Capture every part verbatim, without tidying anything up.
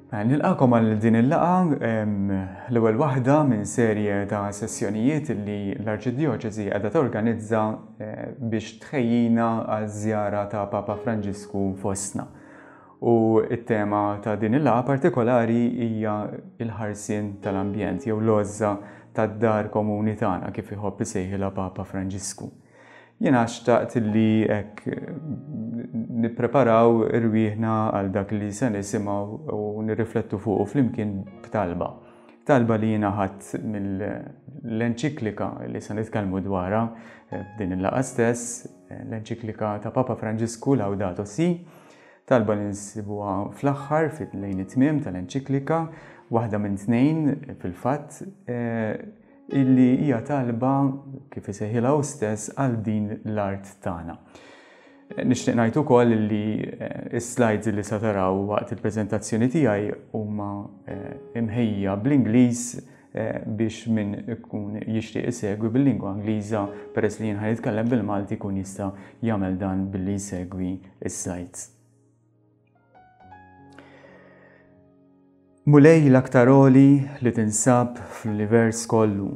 Nilqakom għal din il-laqgħa, l-ewwel waħda minn serje ta' sessjonijiet li l-Arċidjoċesi qiegħda torganizza eh, biex tħejjina għaż-żjara ta' Papa Franġisku fostna. U t-tema ta' din il-laqgħa partikolari hija l-ħarsien tal-ambjent jew l-għożża tad-dar komuni tagħna, kif iħobb isejħilha Papa Franġisku. Jiena xtaqt li hekk nippreparaw irwieħna għal dak li se nisimgħu u nirriflettu fuqu flimkien b'talba. Talba li jiena ħadt mill-enċiklika li se nitkellmu dwarha f'din il-laqgħa stess, l-enċiklika ta' Papa Franġisku Laudato Si, talba li nsibuha fl-aħħar lejn it-tmiem tal-enċiklika, waħda minn tnejn fil-fatt, illi hija talba, kif isejħilha hu stess, għal din l-art tagħna. Nixtieq ngħid ukoll li s-slides li se taraw waqt il-preżentazzjoni tiegħi huma imħejja bl-Ingliż biex min ikun jixtieq isegwi bil-lingwa Ingliża, peress li jien ħa nitkellem bil-Malti, jkun jista' jagħmel dan billi jsegwi s-slides. Mulej l-aktar għoli li tinsab fl-univers kollu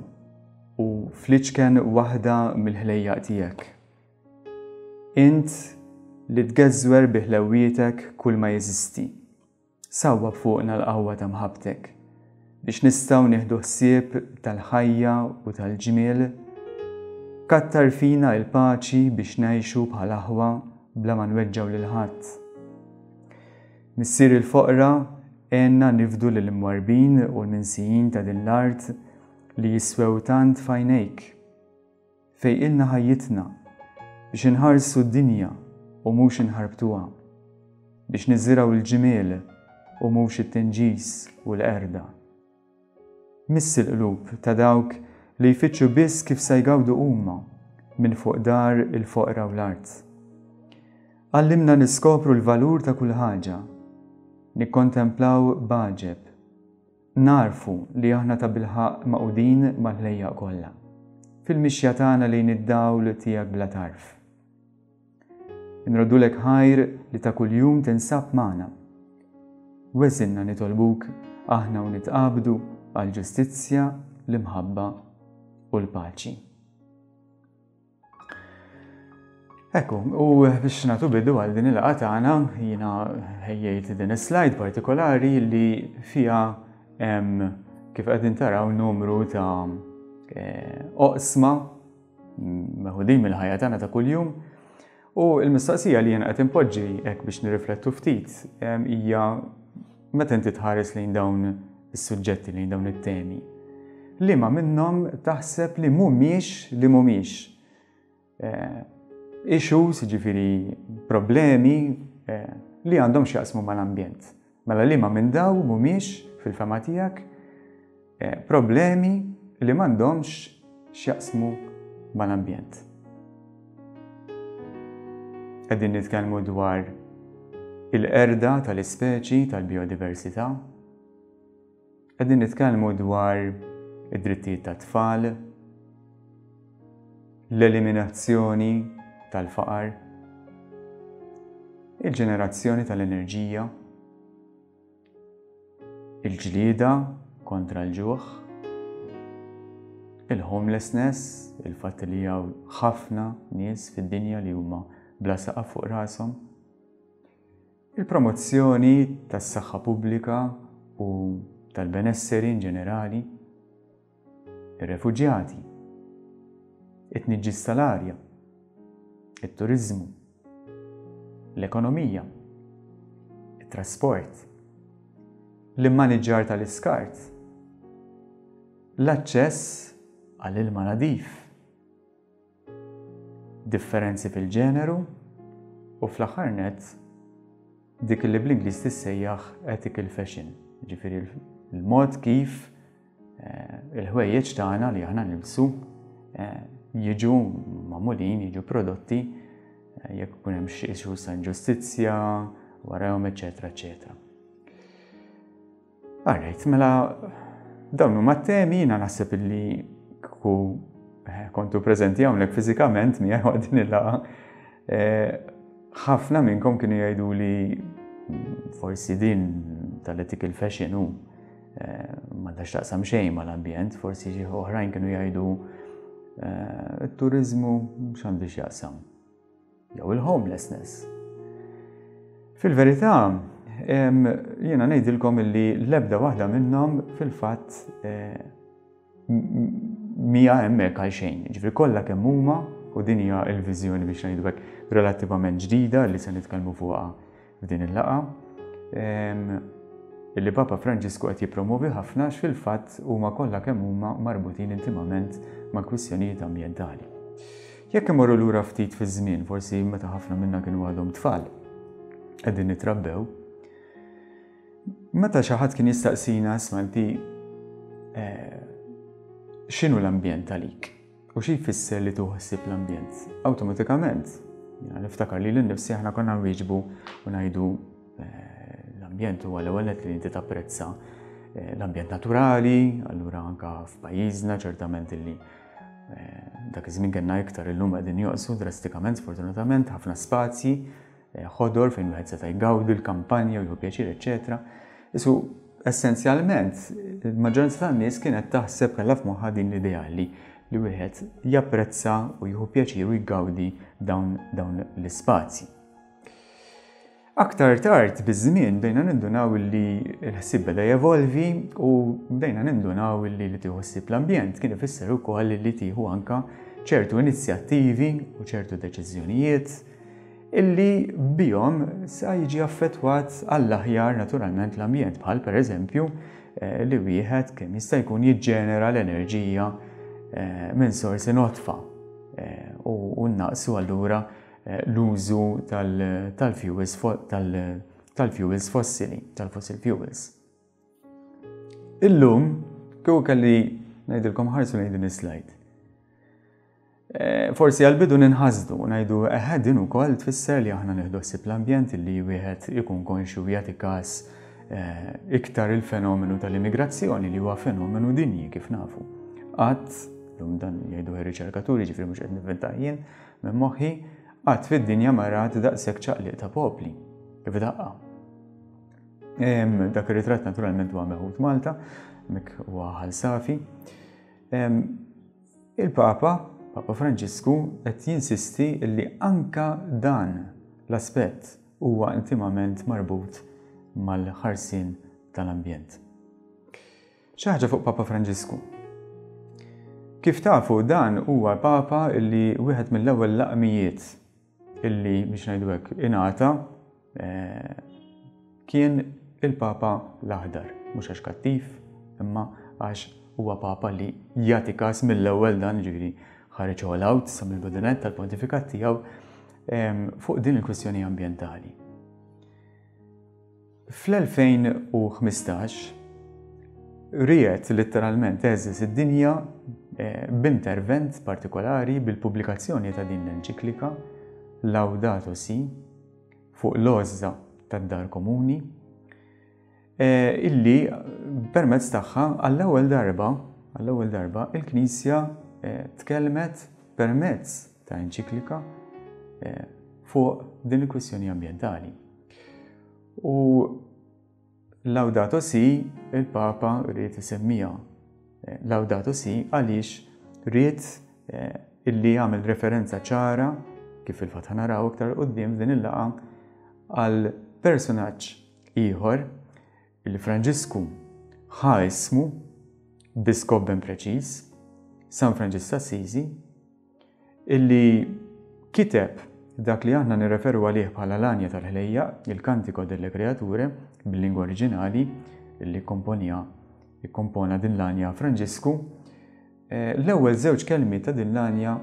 u fl-iċken waħda mill-ħlejjaq tiegħek. Int li tgeżwer bi ħlewwietek kull ma jeżisti. Sawwab fuqna l-qawwa ta' mħabbtek biex nistgħu nieħdu ħsieb tal-ħajja u tal-ġmiel. Kattar fina l-paċi biex ngħixu bħal aħwa bla ma nweġġgħu lil ħadd. Missier il-foqra, għenna nifdu lill-imwarbin u l-minsijin ta' din l-art li jiswew tant f'għajnejk. Fejqilna ħajjitna biex inħarsu d-dinja u mhux inħarbtuha, biex niżirgħu l-ġmiel u mhux it-tinġis u l-qerda. Miss il-qlub ta' dawk li jfittxu biss kif se jgawdu huma minn fuq dar il-foqra u l-art. Għallimna niskopru l-valur ta' kull ħaġa, nikkontemplaw b'għaġeb, narfu li aħna ta' bilħaqq maqudin mal-ħlejjaq kollha, fil-mixja tagħna lejn id-dawl tiegħek bla tarf. Inroddulek ħajr li ta' kuljum tinsab magħna. Weżinna nitolbuk aħna u nitqabdu għall-ġustizzja, l-imħabba u l-paċi. Ekku, u biex nagħtu bidu għal din il-laqgħa tagħna, jiena ħejjejt din is-slide partikolari li fiha hemm, kif qegħdin taraw, numru ta' oqsma meħudin mill-ħajja tagħna ta' kuljum. U l-mistoqsija li jiena qed inpoġġi hekk biex nirriflettu ftit hija meta inti tħares lejn dawn is-suġġetti, lejn dawn it-temi, liema minnhom taħseb li mhumiex li mhumiex issues, ġifieri problemi li għandhom x'jaqsmu mal-ambjent. Mela liema minn daw mhumiex fil-fema tiegħek problemi li m'għandhomx x'jaqsmu mal-ambjent. Qegħdin nitkellmu dwar il-qerda tal-ispeċi tal-biodiversità. Qegħdin nitkellmu dwar id-drittijiet tat-tfal, l-eliminazzjoni tal-faqar, il-ġenerazzjoni tal-enerġija, il-ġlieda kontra l-ġuħ, il-homelessness, il-fatt li hawn ħafna nies fid-dinja li huma bla saqaf fuq rashom, il-promozzjoni tas-saħħa pubblika u tal-benesseri in ġenerali, ir-refuġjati, it-tniġġis tal-arja, it-turizmu, l-ekonomija, it-trasport, l-immaniġġar tal-iskart, l-aċċess għall-ilma nadif, differenzi fil-ġeneru u fl-aħħar nett dik li bl-Ingliż tissejjaħ ethical fashion, ġifieri l-mod kif il-ħwejjeġ tagħna li aħna nilbsu jiġu magħmulin, jiġu prodotti, jekk ikun hemm xi issues ta' inġustizzja warahom, eċetera, eċetera. Alright, mela dawn huma t-temi, jiena naħseb illi kieku kontu preżenti hawnhekk fiżikament miegħi waqt din il-laqgħa, ħafna minnkom kienu jgħidu li forsi din tal-ethical fashion u eh, m'għandha x'taqsam xejn mal-ambjent, forsi xi oħrajn kienu jgħidu eh, it-turizmu x'għandu x'jaqsam. Jew il-homelessness. Fil-verità, jiena ngħidilkom illi l-ebda waħda minnhom fil-fatt eh, mija hemmhekk għal xejn. Ġifieri kollha kemm huma, u din hija l-viżjoni biex ngħidu hekk relattivament ġdida li se nitkellmu fuqha f'din il-laqgħa, illi Papa Franġisku qed jippromovi ħafna, fil-fatt huma kollha kemm huma marbutin intimament ma' kwistjonijiet ambjentali. Jekk imorru lura ftit fiż-żmien, forsi meta ħafna minna kienu għadhom tfal, qegħdin nitrabbew, meta xi ħadd kien jistaqsina, "Isma' inti, eh, x'inhu l-ambjent għalik? U xi jfisser li tieħu ħsieb l-ambjent?" Awtomatikament, niftakar li lil nifsi, aħna konna nwieġbu u ngħidu eh, l-ambjent huwa l-ewwel li inti tapprezza eh, l-ambjent naturali, allura anka f'pajjiżna ċertament illi eh, dak iż-żmien kellna iktar, illum qegħdin joqsu drastikament sfortunatament, ħafna spazji ħodor fejn wieħed seta' jgawdi l-kampanja u jieħu pjaċir, eċetera. Isu essenzjalment il-maġġoranza tan-nies kienet taħseb, kellha f'moħħha din l-idea li li wieħed japprezza u jieħu pjaċir u jgawdi dawn, dawn l-ispazji. Aktar tard biż-żmien bdejna nindunaw li l-ħsieb beda jevolvi u bdejna nindunaw li li tieħu ħsieb l-ambjent kien ifisser ukoll li tieħu anka ċertu inizjattivi u ċertu deċiżjonijiet illi bihom sa jiġi affettwat għall-aħjar naturalment l-ambjent, bħal per eżempju eh, li wieħed kemm jista' jkun jiġġenera l-enerġija eh, minn sorsi nodfa eh, u naqsu allura l-użu tal-fuels tal-fuels fossili, tal-fossil fuels. Illum, kieku kelli ngħidilkom ħarsu lejn din is-slide. Eh, forsi għal-bidu ninħasdu, ngħidu eħe, din ukoll tfisser li aħna nieħdu ħsieb l-ambjent, li wieħed ikun konxju jagħti każ eh, iktar il-fenomenu tal-immigrazzjoni, li huwa fenomenu dinji kif nafu. Qatt, lum dan jgħidu ir-riċerkaturi, ġifieri mhux qed nivvinta jien minn moħħi, qatt fid-dinja ma rat daqshekk ċaqliq ta' popli kif daqqa. Dak ir-ritratt naturalment huwa meħud Malta, mek huwa Ħal Safi. Il-Papa, Papa Franġisku, qed jinsisti li anka dan l-aspett huwa intimament marbut mal-ħarsien tal-ambjent. Xi ħaġa fuq Papa Franġisku. Kif tafu, dan huwa Papa illi wieħed mill-ewwel laqmijiet illi biex ngħidu hekk ingħata eh, kien il-Papa l-Aħdar, mhux għax kattiv, imma għax huwa Papa li jagħti każ mill-ewwel dan, ġifieri ħareġ all out sa mill-bidu nett tal-pontifikat tiegħu fuq din il-kwistjoni ambjentali. Fl-elfejn u ħmistax ried letteralment heżżeż id-dinja eh, b'intervent partikolari, bil-pubblikazzjoni ta' din l-enċiklika Laudato Si fuq l-għożża tad-dar komuni, eh, illi permezz tagħha għall-ewwel darba għall-ewwel darba il-Knisja eh, tkellmet permezz ta' enċiklika eh, fuq din il-kwistjoni ambjentali. U Laudato Si il-Papa ried isemmija Laudato Si għaliex ried illi jagħmel referenza ċara, kif il-fatt naraw iktar quddiem f'din il-laqgħa, għal personaġġ ieħor illi Franġisku ħa ismu bi skop ben preċiż, San Franġisk Assisi, illi kiteb dak li aħna nirreferu għalih bħala l-Għanja tal-Ħlejjaq, il-Cantico delle Creature, bil-lingwa oriġinali, illi komponja ikkompona din l-għanja Franġisku. Eh, l-ewwel żewġ kelmi ta' din l-għanja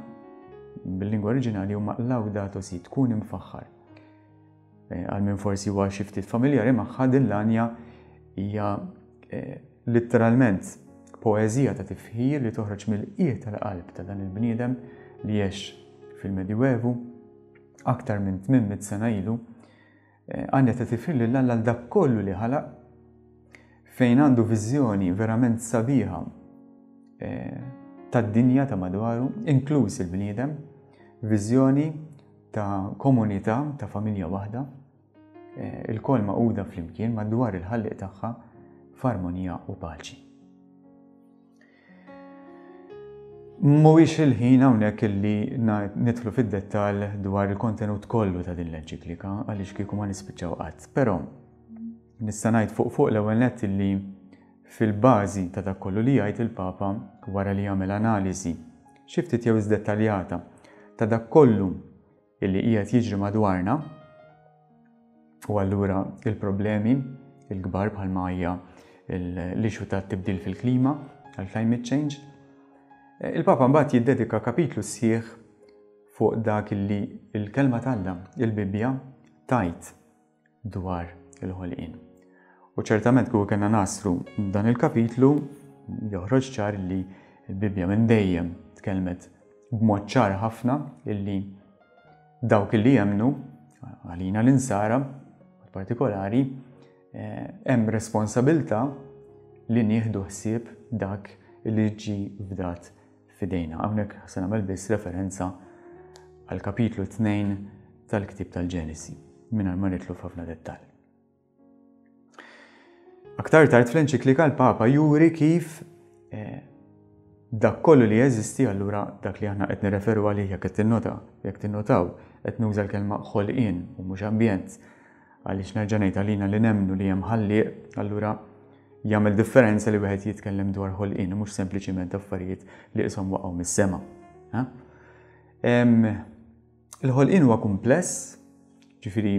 bil-lingwa oriġinali huma "Laudato si", tkun imfaħħar. Eh, għal min forsi huwa xi ftit familjari magħha, din l-għanja hija eh, letteralment poeżija ta' tifħir li toħroġ mill-qiegħ tal-qalb ta' dan il-bniedem li għex fil-Medjuevu aktar minn tmien mitt sena ilu, eh, għanja ta' tifħir lil Alla dak kollu li ħalaq, fejn għandu viżjoni verament sabiħa tad-dinja ta' madwaru, inkluż il-bniedem, viżjoni ta' komunità, ta' familja waħda. ilkoll magħquda flimkien madwar il-ħallieq tagħha f'armonija u paċi. Mhuwiex il-ħin hawnhekk illi nidħlu fid-dettall dwar il-kontenut kollu ta' din l-enċiklika għaliex kieku ma nispiċċaw qatt, però nista' ngħid fuq fuq l-ewwel nett illi fil-bażi ta' dak kollu li jgħid il-Papa wara li jagħmel analiżi xi ftit jew dettaljata ta' dak kollu illi qiegħed jiġri madwarna, u allura il-problemi il-kbar bħalma hija l-issue ta' tibdil fil-klima, għal-climate change, il-Papa mbagħad jiddedika kapitlu sħiħ fuq dak illi il-kelma t'Alla, il-Bibbja, tajt dwar il-ħolqien. U ċertament kieku kellna nasru dan il-kapitlu joħroġ ċar li l-Bibbja minn dejjem tkellmet b'mod ċar ħafna illi dawk illi jemmnu, għalina l-insara partikolari, hemm responsabilità li nieħdu ħsieb dak li ġi fdat fidejna. Hawnhekk se nagħmel biss referenza għal kapitlu tnejn tal-ktieb tal-Ġenesi, mingħajr ma nidħlu f'ħafna dettall. Aktar tard fl-enċiklika l-Papa juri kif eh, dak kollu li jeżisti, allura dak li aħna qed nirreferu għalih, jekk qed tinnota, jekk tinnotaw, qed nuża l-kelma ħolqien u mhux ambjent, għaliex nerġa' ngħid għalina li nemmnu li hemm ħallieq, allura jagħmel differenza li wieħed jitkellem dwar ħolqien u mhux sempliċiment affarijiet li qishom waqgħu mis-sema. Il-ħolqien huwa kumpless, ġifieri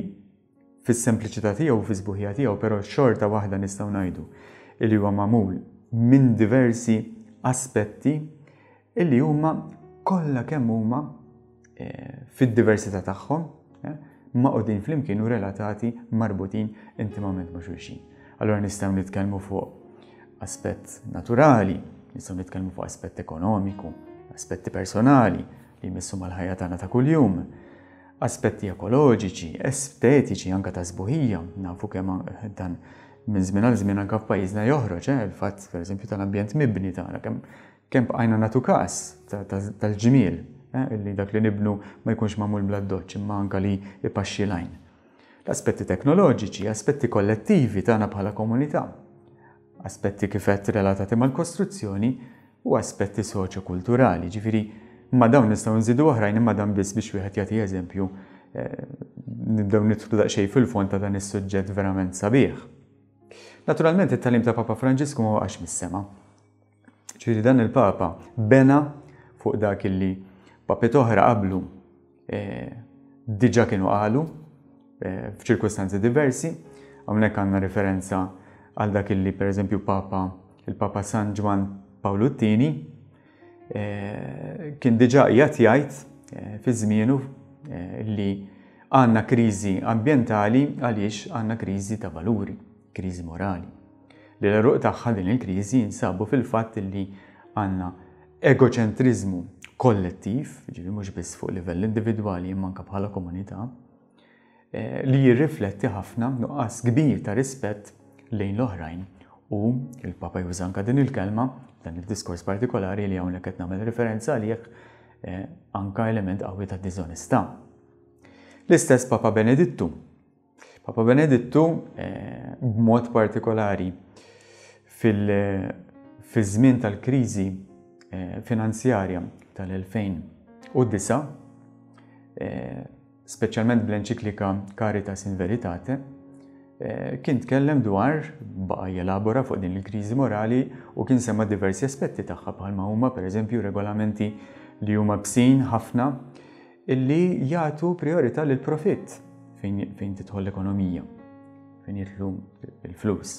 fis-sempliċità tiegħu u fis-sbuħija tiegħu, però xorta waħda nistgħu ngħidu li huwa magħmul minn diversi aspetti illi huma kollha kemm huma eh, fid-diversità tagħhom eh, maqgħudin flimkien u relatati, marbutin intimament ma' xulxin. Allora nistgħu nitkellmu fuq aspett naturali, nistgħu nitkellmu fuq aspett ekonomiku, aspetti personali li jmissu mal-ħajja tagħna ta' kuljum, aspetti ekoloġiċi, estetiċi, anka ta' sbuħija, nafu kemm dan minn żmien għal żmien anka f'pajjiżna joħroġ, eh, il-fatt pereżempju tal-ambjent mibni tagħna, kemm kemm bqajna nagħtu każ tal-ġmiel, eh, illi dak li nibnu ma jkunx magħmul bla doċċ, imma anka li ipaxxi l-għajn. L-aspetti teknoloġiċi, aspetti kollettivi tagħna bħala komunità, aspetti kif qed relatati mal-kostruzzjoni u aspetti soċjokulturali, ġifieri ma dawn nistgħu nżidu oħrajn, imma dan biss biex wieħed jagħti eżempju, eh, nibdew nidħlu daqsxejn fil-fond ta' dan is-suġġett verament sabiħ. Naturalment it-tagħlim ta' Papa Franġisku ma waqax mis-sema. Ġifieri dan il-Papa bena fuq dak illi papiet oħra qablu eh, diġà kienu qalu eh, f'ċirkustanzi diversi. Hawnhekk għandna referenza għal dak illi pereżempju Papa, il-Papa San Ġwann Pawlu t-tieni kien diġà qiegħed jgħid fi żmienu li għandna kriżi ambjentali għaliex għandna kriżi ta' valuri, kriżi morali. Li l-għeruq tagħha din il-kriżi jinsabu fil-fatt li għandna egoċentriżmu kollettiv, ġifieri mhux biss fuq livell individwali imma anke bħala komunità, li jirrifletti ħafna nuqqas kbir ta' rispett lejn l-oħrajn. U il-Papa juża anke din il-kelma, dan il-diskors partikolari li hawnhekk qed nagħmel referenza għalih, anka element qawwi ta' diżonestà. L-istess Papa Benedittu. Papa Benedittu b'mod partikolari fil-żmien tal-kriżi finanzjarja tal-elfejn u disa, speċjalment bl-enċiklika Caritas in Veritate, kien tkellem dwar, baqa' jelabora fuq din il-kriżi morali u kien semma diversi aspetti tagħha bħalma huma pereżempju regolamenti li huma bsin ħafna illi jagħtu priorità lil profitt fejn, fejn tidħol l-ekonomija, fejn jidħlu l-flus.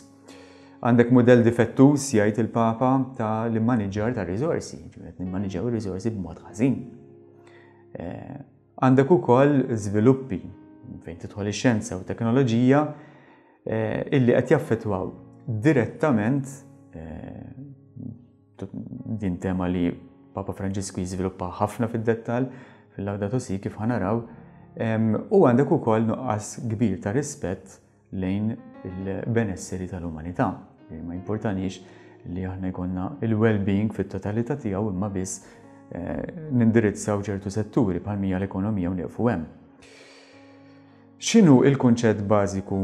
Għandek mudell difettuż, jgħid il-Papa, ta' l-immaniġġar ta' riżorsi, ġifieri qed nimmaniġġjaw ir-riżorsi b'mod ħażin. Għandek ukoll żviluppi fejn tidħol ix-xjenza u teknoloġija illi qed jaffettwaw direttament din tema li Papa Franġisku jiżviluppa ħafna fid-dettall fil-Laudato Si kif ħanaraw, u għandek ukoll nuqqas kbir ta' rispett lejn il-benesseri tal-umanità. Ma importanix li aħna jkollna il-well-being fit-totalità tiegħu imma biss nindirizzaw ċertu setturi bħal mija l-ekonomija u nieqfu hemm. X'inhu il-kunċett bażiku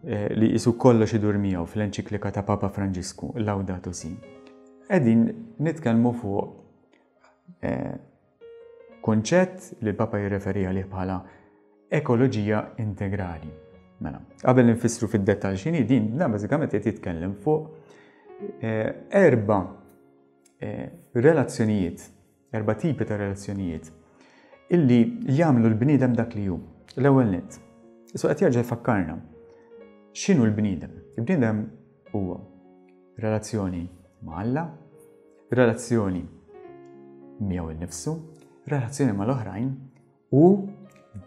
eh, li qisu kollox idur miegħu fl-enċiklika ta' Papa Franġisku, Laudato Si? Qegħdin nitkellmu fuq eh, kunċett li l-Papa jirreferi għalih bħala ekoloġija integrali. Mela, qabel nfissru fid-dettall x'inhi din, dan bażikament qed jitkellem fuq eh, erba' relazzjonijiet, erba' tipi ta' relazzjonijiet illi jagħmlu l-bniedem dak li hu. L-ewwel nett. Qisu qed jerġa' jfakkarna. X'inhu l-bniedem? Il-bniedem huwa relazzjoni ma' Alla, relazzjoni miegħu innifsu, relazzjoni mal-oħrajn u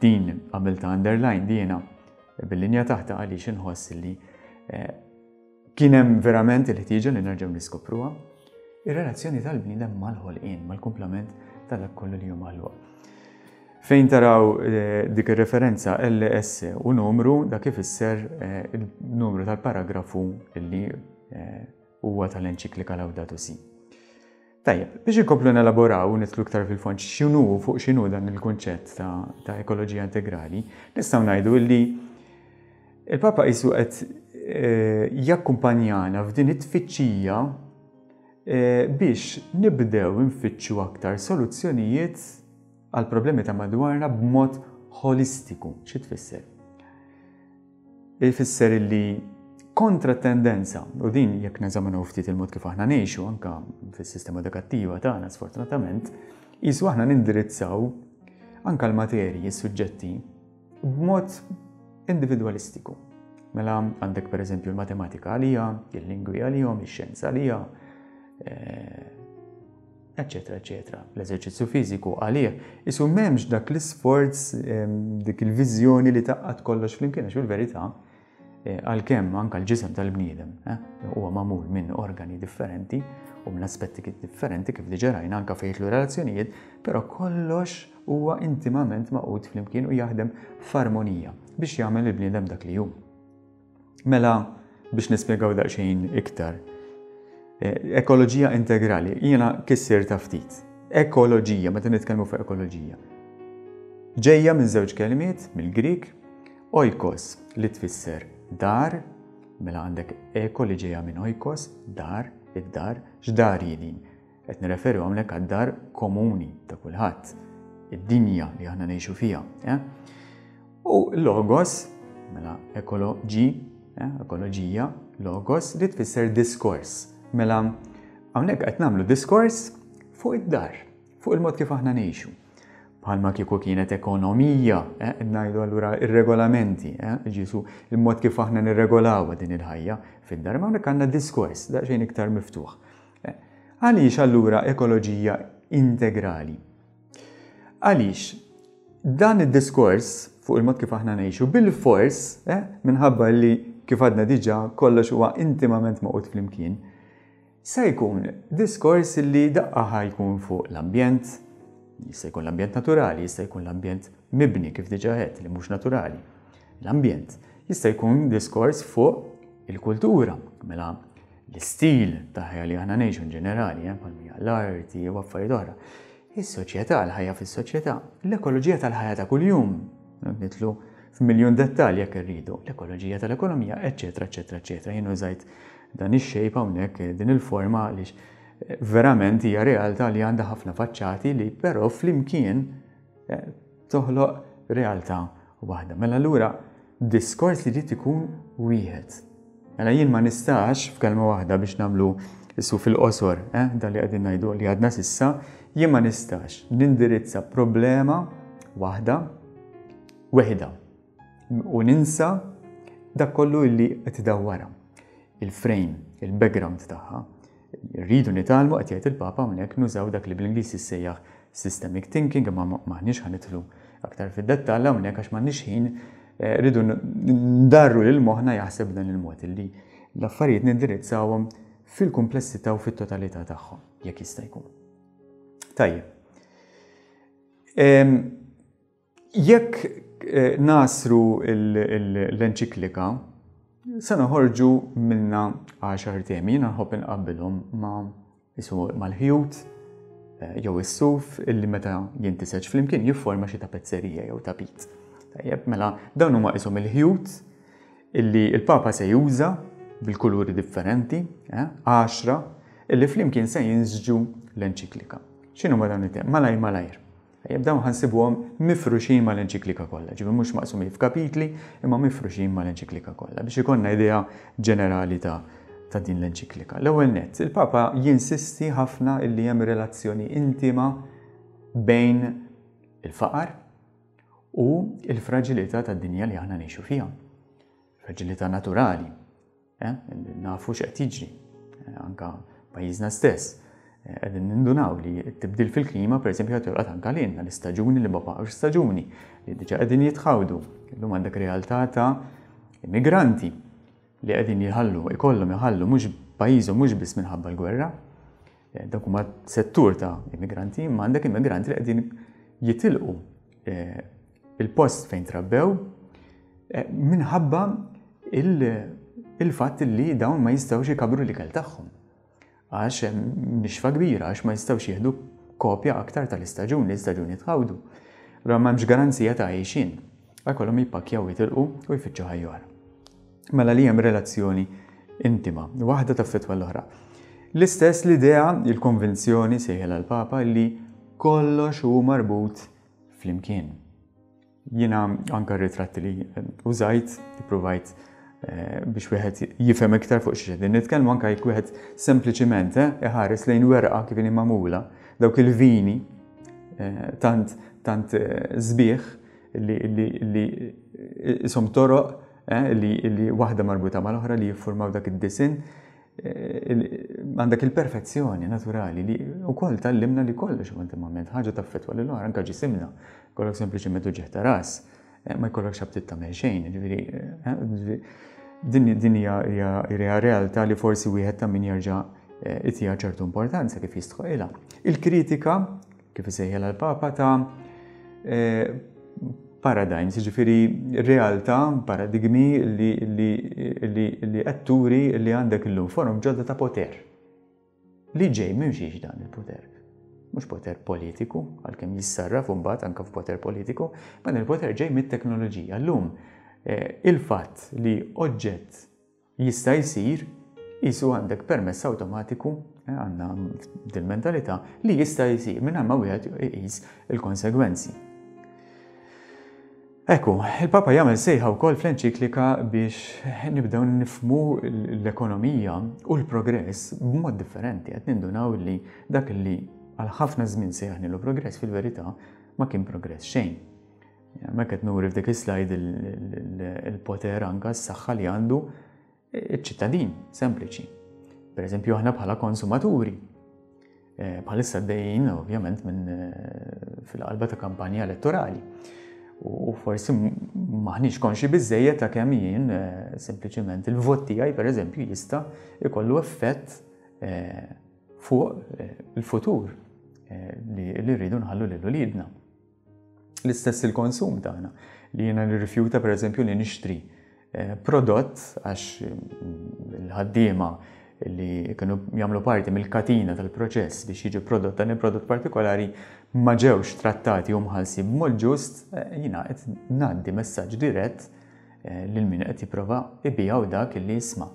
din għamilta underline dina bil-linja taħta għaliex inħoss li eh, kien hemm verament il-ħtieġa li nerġgħu niskopruha, ir-relazzjoni tal-bniedem mal-ħolqien, mal-kumplament ta' dak kollu li hu maħluq. Fejn taraw eh, dik ir-referenza L S u numru, dak ifisser eh, il-numru tal-paragrafu illi eh, huwa tal-enċiklika Laudato Si. Tajjeb, biex inkomplu nelaboraw u nidħlu iktar fil-fond x'inhu fuq x'inhu dan il-kunċett ta', ta ekoloġija integrali, nistgħu ngħidu illi il-Papa qisu qed jakkumpanjana f'din it-tfittxija biex nibdew nfittxu aktar soluzzjonijiet għal problemi ta' madwarna b'mod holistiku. Xi tfisser? Ifisser illi kontra tendenza, u din jekk neżaminaw ftit il-mod kif aħna ngħixu anka fis-sistema edukattiva tagħna, sfortunatament, qisu aħna nindirizzaw anka l-materji, s-suġġetti, b'mod individwalistiku. Mela għandek, per eżempju, l-matematika għalija, il-lingwi għalihom, ix-xjenza għalija, eccetera, eccetera. L-eżerċizzju fiżiku għalih, qisu m'hemmx dak l-isforz, dik il-viżjoni li tgħaqqad kollox flimkien, għax fil-verità, eh, għalkemm anka l-ġisem tal-bniedem eh, huwa magħmul minn organi differenti u minn aspetti differenti, kif diġà rajna anka fejn relazzjonijiet, però kollox huwa intimament magħqud flimkien u jaħdem f'armonija biex jagħmel il-bniedem dak li hu. Mela, biex nispjegaw daqsxejn iktar, Eh, ekoloġija integrali, jiena kissirtha ftit. Ekoloġija, meta nitkellmu fuq ekoloġija. Ġejja minn żewġ kelmiet mill-Grik, oikos li tfisser dar, mela għandek eko li ġejja minn oikos, dar, id-dar. X'dar din? Qed nirreferu hawnhekk għad-dar komuni ta' kulħadd, id-dinja li aħna ngħixu fiha. Eh? U logos, mela ekoloġi, eh, ekoloġija, logos li tfisser diskors. Mela, hawnhekk qed nagħmlu diskors fuq id-dar, fuq il-mod kif aħna ngħixu. Bħalma kieku kienet ekonomija, eh, ngħidu allura ir-regolamenti, eh, ġisu il-mod kif aħna nirregolaw din il-ħajja fid-dar, ma hawnhekk għandna diskors daqsxejn iktar miftuħ. Eh, għaliex allura ekoloġija integrali? Għaliex dan id-diskors fuq il-mod kif aħna ngħixu bil-fors, eh, minħabba li, kif għadna diġà, kollox huwa intimament magħqud flimkien, se jkun diskors li daqqa jkun fuq l-ambjent, jista' jkun l-ambjent naturali, jista' jkun l-ambjent mibni, kif diġà għedt, li mhux naturali. L-ambjent jista' jkun diskors fuq il-kultura, mela l-istil ta' ħajja li aħna ngħixu in ġenerali, eh, bħal l-arti u affarijiet oħra. Is-soċjetà, l-ħajja fis-soċjetà, l-ekoloġija tal-ħajja ta' kuljum, nidħlu f'miljun dettalji jekk irridu, l-ekoloġija tal-ekonomija, eċċetera, eċċetera, eċċetera. Jien użajt dan ix-shape hawnhekk, din il-forma, għaliex eh, verament hija realtà li għandha ħafna faċċati li però flimkien eh, toħloq realtà waħda. Mela allura diskors li jrid ikun wieħed. Mela jien ma nistax, f'kelma waħda biex nagħmlu issu fil-qosor, eh, dan li qegħdin ngħidu, li għadna s'issa, jien ma nistax nindirizza problema waħda weħda u ninsa dak kollu illi qed idawwarha. Il-frame, il-background tagħha. Rridu nitgħallmu, qed jgħid il-Papa hawnhekk, nużaw dak li bl-Ingliż jissejjaħ systemic thinking, imma m'aħniex ħa nidħlu aktar fid-dettall hawnhekk għax m'għandniex ħin. eh, rridu ndarru lil moħħna jaħseb dan il-mod illi l-affarijiet nindirizzawhom fil-komplessità u fit-totalità tagħhom jekk jista' jkun. Tajjeb. Jekk eh, nagħsru l-enċiklika, se noħorġu minna għaxar temi. Jiena nħobb inqabbilhom ma' isu mal-ħjut eh, jew is-suf illi meta jintiseġ flimkien jifforma xi tapezzerija jew tapit. Tajjeb, mela dawn huma qishom il-ħjut illi il-Papa se juża bil-kuluri differenti, eh, għaxra, illi flimkien se jinsġu l-enċiklika. X'inhuma dawn it-temi? Malajr malajr. Tajjeb, dawn ħa nsibuhom mifruxin mal-enċiklika kollha, ġifieri mhux maqsumin f'kapitli, imma mifruxin mal-enċiklika kollha biex ikollna idea ġenerali ta' ta' din l-enċiklika. L-ewwel nett, il-Papa jinsisti ħafna illi hemm relazzjoni intima bejn il-faqar u il-fraġilità tad-dinja li aħna ngħixu fiha. Fraġilità naturali. Eh? Nafu x'qed jiġri, eh, anka pajjiżna stess. Eh, qegħdin nindunaw li t-tibdil fil-klima, pereżempju, qed jolqot anka lilna, l-istaġuni li ma baqgħux staġuni, li diġà qegħdin jitħawdu. Illum għandek realtà ta' immigranti li qegħdin jħallu, ikollhom iħallu mhux pajjiżhom mhux biss minħabba l-gwerra, eh, dak huma settur ta' immigranti, imma għandek immigranti li qegħdin jitilqu eh, il-post fejn trabbew eh, minħabba il-fatt li dawn ma jistgħux ikabru l-ikel tagħhom. Għax hemm nixfa kbira, għax ma jistgħux jieħdu kopja aktar tal-istaġun, l-istaġun jitħawdu. Allura m'hemmx garanzija ta' għajxin. Għakollhom jippakkjaw, jitilqu u jfittxu ħajja oħra. Mela li hemm relazzjoni intima, waħda taffettwa l-oħra. L-istess l-idea, il-konvinzjoni sejħela l-Papa li kollox hu marbut flimkien. Jiena anka ritratti li użajt, provajt eh, biex wieħed jifhem iktar fuq xi qegħdin nitkellmu, anke jekk wieħed sempliċiment eh, iħares lejn werqa kif inhi magħmula, dawk il-vini eh, tant tant sbieħ li li isom toroq li li waħda marbuta mal-oħra li jiffurmaw dak id-disinn, għandek il-perfezzjoni naturali li wkoll tgħallimna li kollox huwa intimament, ħaġa taffettwa lil oħra, anke ġisimna, kollok sempliċement uġigħ ta' ras, ma jkollokx aptit tagħmel xejn, ġifieri din din hija realtà li forsi wieħed ta' min jerġa' itiha ċertu importanza kif jistħoqilha. Il-kritika, kif isejħilha l-Papa, ta' paradigms, ġifieri realtà, paradigmi li li li li qed turi li għandek illum forom ġodda ta' poter. Li ġej minn xiex dan il-poter? Mhux poter politiku, għalkemm jissarraf imbagħad anke f'poter politiku, ma dan il-poter ġej mit-teknoloġija. Llum il-fatt li oġġett jista' jsir qisu għandek permess awtomatiku, għandna din mentalità li jista' jsir mingħajr ma wieħed iqis il-konsegwenzi. Ekku, il-Papa jagħmel sejħa wkoll fl-enċiklika biex nibdew nifhmu l-ekonomija u l-progress b'mod differenti. Qed nindunaw li dak li għal ħafna żmien sejjaħnilu progress fil-verità ma kien progress xejn. Ma qed nuri f'dik is-slide il-poter anka s-saħħa li għandu iċ-ċittadin sempliċi. Per eżempju, aħna bħala konsumaturi. Bħalissa għaddejjin ovvjament minn fil-qalba ta' kampanja elettorali. U forsi maħniex konxi biżejjed ta' kemm jien sempliċement il-vot tiegħi pereżempju jista' jkollu effett fuq il-futur li rridu nħallu lil uliedna. L-istess il-konsum tagħna li jiena nirrifjuta pereżempju li nixtri prodott għax il-ħaddiema li kienu jagħmlu parti mill-katina tal-proċess biex jiġi prodott dan il-prodott partikolari ma ġewx trattati u mħallsin b'mod ġust, jiena qed ngħaddi messaġġ dirett lil min qed jipprova jbigħu dak li jisma'.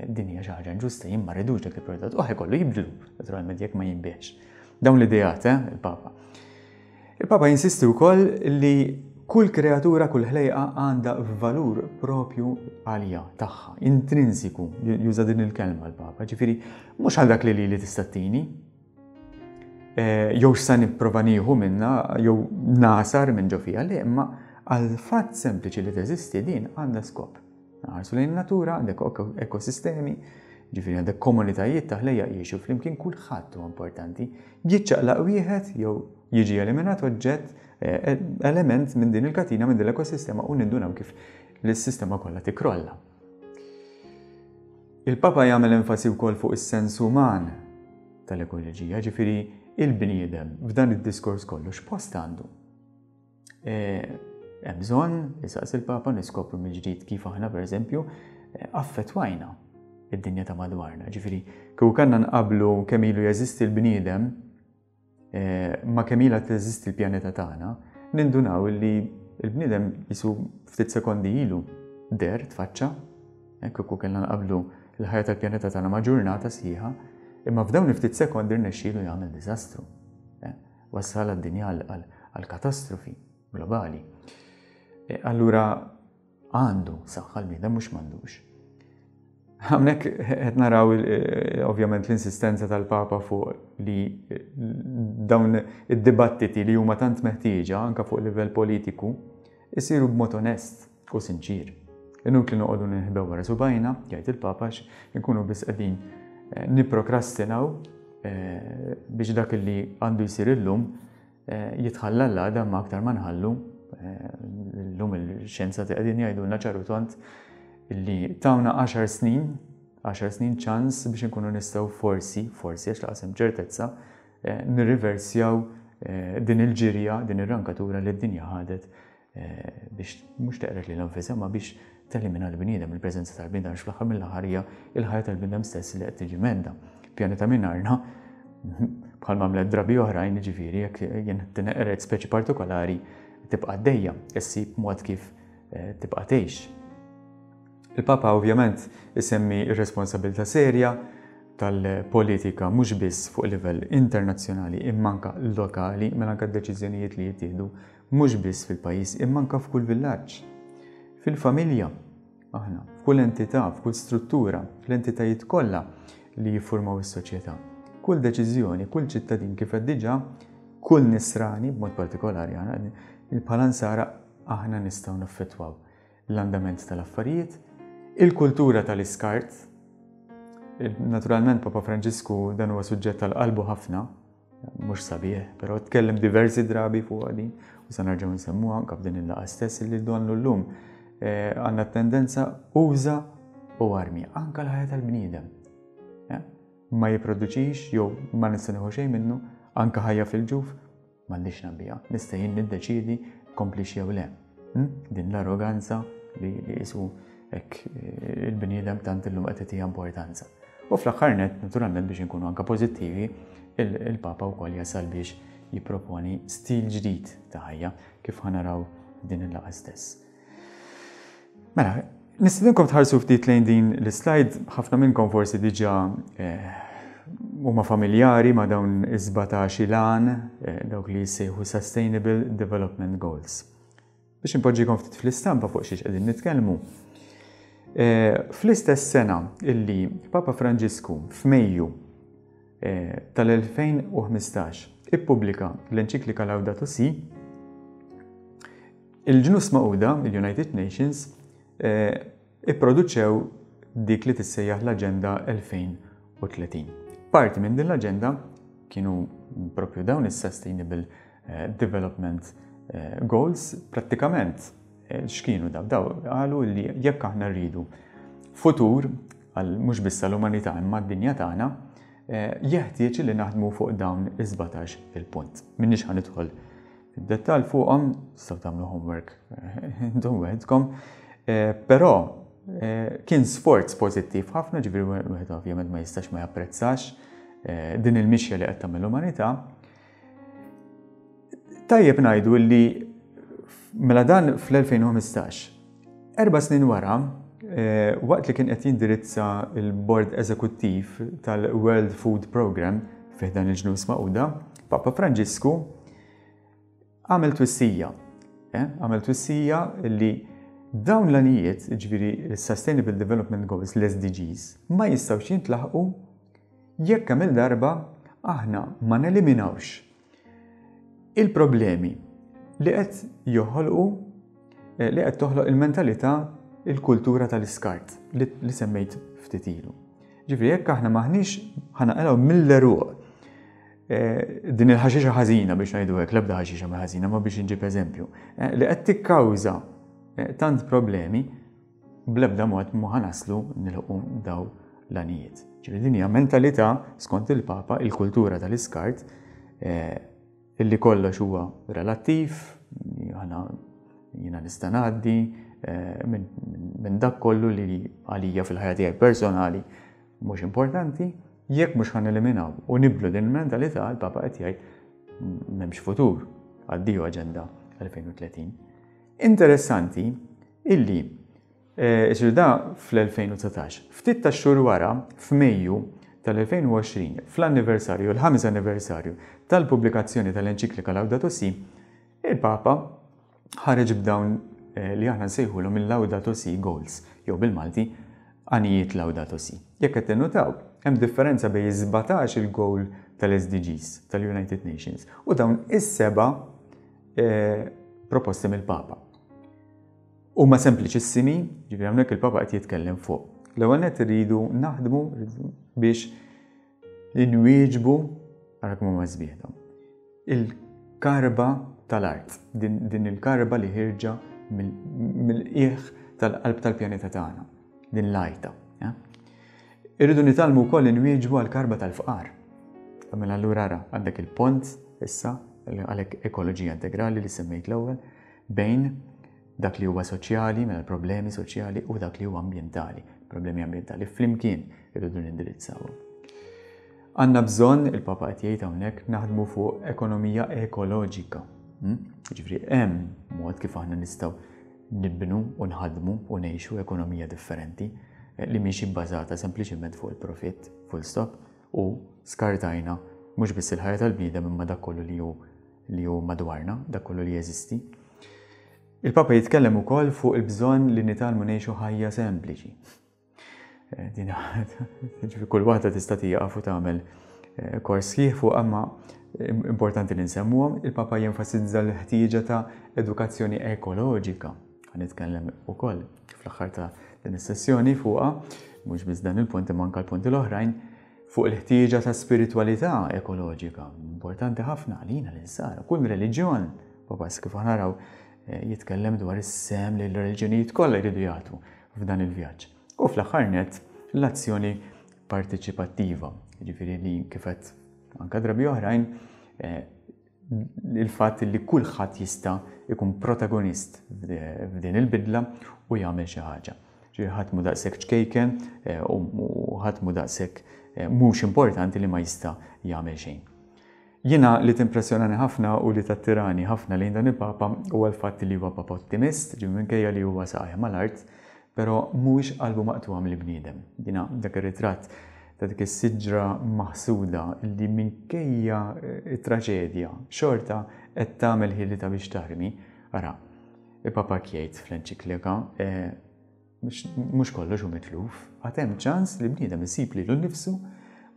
Din hija xi ħaġa inġusta, jien ma rridux dak il-prodott u ħajkollu jibdlu naturalment jekk ma jinbiegħx. Dawn l-ideat, eh, il-Papa. Il-Papa jinsisti wkoll li kull kreatura, kull ħlejqa għandha valur propju għalija tagħha, intrinsiku, juża din il-kelma l-Papa, ġifieri mhux għal dak li lili tista' ttini, jew x'sa nipprova nieħu minnha jew nasar minn ġo fija, le, imma għal fatt sempliċi li teżisti din għandha skop. Nħarsu lejn natura, għandek ekosistemi, ġifieri għandek komunitajiet ta' ħlejjaq jgħixu flimkien, kulħadd huwa importanti. Jiċċaqlaq wieħed jew jiġi eliminat oġġett, element minn din il-katina, minn din l-ekosistema, u nindunaw kif l-sistema kollha tikrolla. Il-Papa jagħmel enfasi wkoll fuq is-sens uman tal-ekoloġija, ġifieri il-bniedem f'dan id-diskors kollu x'post għandu. Hemm bżonn, isaqsi il-Papa, niskopru mill-ġdid kif aħna pereżempju affettwajna id-dinja ta' madwarna. Ġifieri kieku kellna nqablu kemm ilu jeżisti l-bniedem ma kemm ilha teżisti l-pjaneta tagħna, nindunaw li Il-bniedem jisu ftit sekondi ilu der tfaċċa, hekk kieku kellna nqablu l-ħajja tal-pjaneta tagħna ma' ġurnata sħiħa, imma f'dawn ftit sekondi rnexxielu jagħmel diżastru. Eh, wassal għad-dinja għal katastrofi globali. Eh, allura għandu saħħa l-bniedem, mhux m'għandux. Hawnhekk qed naraw eh, ovvjament l-insistenza tal-Papa fuq li eh, dawn id-dibattiti li huma tant meħtieġa anke fuq livell politiku isiru b'mod onest u sinċir. Inutli noqogħdu ninħbew wara subajna, jgħid il-Papa, nkunu biss qegħdin eh, nipprokrastinaw biex dak li għandu jsir illum jitħalla l-għada, ma aktar ma nħallu llum il-xjenza qegħdin jgħidulna ċar u tond illi tawna għaxar snin, għaxar snin ċans biex nkunu nistgħu forsi, forsi għax lanqas hemm ċertezza, eh, nirriversjaw eh, din il-ġirja, din ir-rankatura li d-dinja ħadet eh, biex mhux teqret lilha nfisha, ma biex telimina l-bniedem, il-preżenza tal-bniedem, għax fl-aħħar mill-aħħar hija il-ħajja tal-bniedem stess li qed tiġi mhedda. Pjaneta mingħajrna bħal għamlet drabi oħrajn, ġifieri jekk jien tineqret speċi partikolari tibqa' dejja, issib mod kif tibqa' tgħix. Il-Papa ovvjament isemmi ir-responsabilità serja tal-politika mhux biss fuq livell internazzjonali imma anke lokali, mela anke deċiżjonijiet li jittieħdu mhux biss fil-pajjiż imma anke f'kull villaġġ. Fil-familja, aħna, f'kull entità, f'kull struttura, fl-entitajiet kollha li jiffurmaw is-soċjetà. Kull deċiżjoni, kull ċittadin, kif qed diġà, kull nisrani b'mod partikolari, aħna bħala nsara aħna nistgħu naffettwaw l-andament tal-affarijiet. Il-kultura tal-iskart, naturalment Papa Franġisku dan huwa suġġett tal-qalbu ħafna, mhux sabiħ, però tkellem diversi drabi fuq din u sa nerġgħu nsemmuha anke f'din il-laqgħa stess, li donnu llum eh, għandna tendenza uża u armi, anke l-ħajja tal-bniedem. Eh, ma jipproduċix jew ma nista' nieħu xejn minnu, anke ħajja fil-ġuf m'għandix nagħbiha, nista' jien niddeċiedi komplix jew le. Hmm? Din l-arroganza li jisu hekk eh, il-bniedem tant illum qed tagħtiha importanza. U fl-aħħar net, naturalment biex inkunu anke pożittivi, il-Papa wkoll jasal biex jipproponi stil ġdid ta' ħajja, kif ħa naraw din il-laqgħa stess. Mela, nistedinkom tħarsu ftit lejn din l-slide, ħafna minnkom forsi diġà eh, huma familjari ma' dawn is-sbatax il-għan, eh, dawk li jissejħu Sustainable Development Goals. Biex impoġġikom ftit fl-istampa fuq xiex qegħdin nitkellmu. Eh, fl-istess sena illi Papa Franġisku f'Mejju eh, tal-elfejn u ħmistax ippubblika l-enċiklika Laudato Si, il-Ġnus Magħquda, il-United Nations, eh, ipproduċew dik li tissejjaħ l-Aġenda elfejn u tletin. Parti minn din l-aġenda kienu propju dawn is-Sustainable Development Goals. Prattikament x'kienu daw? Daw qalu li jekk aħna rridu futur għal mhux biss għall-umanità imma d-dinja tagħna, eh, jeħtieġ li naħdmu fuq dawn is-sbatax il-punt. M'iniex ħa nidħol id-dettall fuqhom, tistgħu tagħmlu homework eh, intom weħidkom, eh, però kien sforz pożittiv ħafna, ġifieri wieħed ovvjament ma jistax ma japprezzax din il-mixja li qed tagħmel l-umanità. Tajjeb ngħidu li mela dan fl-elfejn u ħmistax. Erba' snin wara, eh, waqt li kien qed jindirizza il-Bord Eżekuttiv tal-World Food Program fi dan il-Ġnus Magħquda, Papa Franġisku għamel twissija. Eh, għamel twissija li dawn l-għanijiet, ġifieri Sustainable Development Goals, l-S D Gs, ma jistgħux jintlaħqu jekk kemm il-darba aħna ma neliminawx il-problemi li qed joħolqu eh, li qed toħloq il-mentalità, il-kultura tal-iskart li, li semmejt ftit ilu. Ġifieri jekk aħna maħniex ħa naqilgħu mill-għeruq eh, din il-ħaxixa ħażina, biex ngħidu hekk, l-ebda ħaxixa ma ħażina, ma biex inġib eżempju, eh, li qed tikkawża tant problemi, bl-ebda mod ma ħa naslu nilħqu daw l-għanijiet. Ġifieri din hija mentalità, skont il-Papa, il-kultura tal-iskart, illi kollox huwa relattiv, aħna jiena nista' ngħaddi eh, minn dak kollu li għalija fil-ħajja tiegħi personali mhux importanti. Jekk mhux ħa neliminaw u nibdlu din il-mentalità, il-Papa qed jgħid, m'hemmx futur. Addio Aġenda elfejn u tletin. Interessanti illi eh, da fl-elfejn u dsatax, ftit ta' xhur wara, f'Mejju tal-elfejn u għoxrin, fl-anniversarju, l-ħames anniversarju tal-pubblikazzjoni tal-enċiklika Laudato Si, il-Papa ħareġ b'dawn, eh, li aħna nsejħulhom il-Laudato Si Goals, jew bil-Malti għanijiet Laudato Si. Jekk qed tinnutaw, hemm differenza bejn sbatax il-goal tal-S D Gs tal-United Nations u dawn is-seba', eh, proposti mill-Papa. Huma sempliċissimi, ġifieri hawnhekk il-Papa qed jitkellem fuq. L-ewwel nett irridu naħdmu biex inwieġbu, ara kemm huma sbieħ dawn, il-karba tal-art, din, din il-karba li ħirġa mill-qiegħ tal-qalb tal-pjaneta tagħna, din l-għajta. Ja? Irridu nitgħallmu wkoll inwieġbu għall-karba tal-fqar. Mela allura ara, għandek il-pont issa, għalhekk ekoloġija integrali li semmejt l-ewwel, bejn dak li huwa soċjali, mela problemi soċjali, u dak li huwa ambjentali, problemi ambjentali flimkien irridu nindirizzawhom. Għandna bżonn, il-Papa qed jgħid hawnhekk, naħdmu fuq ekonomija ekoloġika. Hmm? Jiġifieri hemm mod kif aħna nistgħu nibnu u nħadmu u ngħixu ekonomija differenti, eh, li mhix ibbażata sempliċement fuq il-profitt, full stop, u skartajna mhux biss il-ħajja tal-bniedem imma dak kollu li hu li hu madwarna, dak kollu li jeżisti. Il-Papa jitkellem ukoll fuq il-bżonn li nitgħallmu ngħixu ħajja sempliċi. Eh, din ġifieri kull waħda tista' tieqaf u tagħmel, eh, kors sħiħ fuq, imma importanti li nsemmuhom. Il-Papa jenfasizza l-ħtieġa ta' edukazzjoni ekoloġika. Ħa nitkellem ukoll fl-aħħar ta' din is-sessjoni fuqha, mhux biss dan il-punt imma anke l-punti l-oħrajn, fuq il-ħtieġa ta' spiritualità ekoloġika. Importanti ħafna għalina l-insara, kull reliġjon, Papa kif aħna naraw, eh, jitkellem dwar is-sem li l-reliġjonijiet kollha jridu jagħtu f'dan il-vjaġġ. U fl-aħħar nett l-azzjoni parteċipattiva, jiġifieri li kif qed anke drabi oħrajn, eh, il-fatt li kulħadd jista' jkun protagonist f'din il-bidla u jagħmel xi ħaġa. Ġifieri ħadd mhu daqshekk ċkejken, eh, u ħadd mhu daqshekk, eh, mhux importanti li ma jista' jagħmel xejn. Jiena li timpressjonani ħafna u li tattirani ħafna lejn dan il-Papa huwa l-fatt li huwa Papa ottimist, ġifieri minkejja li huwa saqajh mal-art, però mhuwiex qalbu maqtugħa mill-bniedem. Jiena dak ir-ritratt ta' dik is-siġra maħsuda li minkejja it-traġedja xorta qed tagħmel ħilitha biex tarmi. Ara, il-Papa jgħid fl-enċiklika, eh, mhux kollox hu mitluf, għad hemm ċans li bniedem isib lilu nnifsu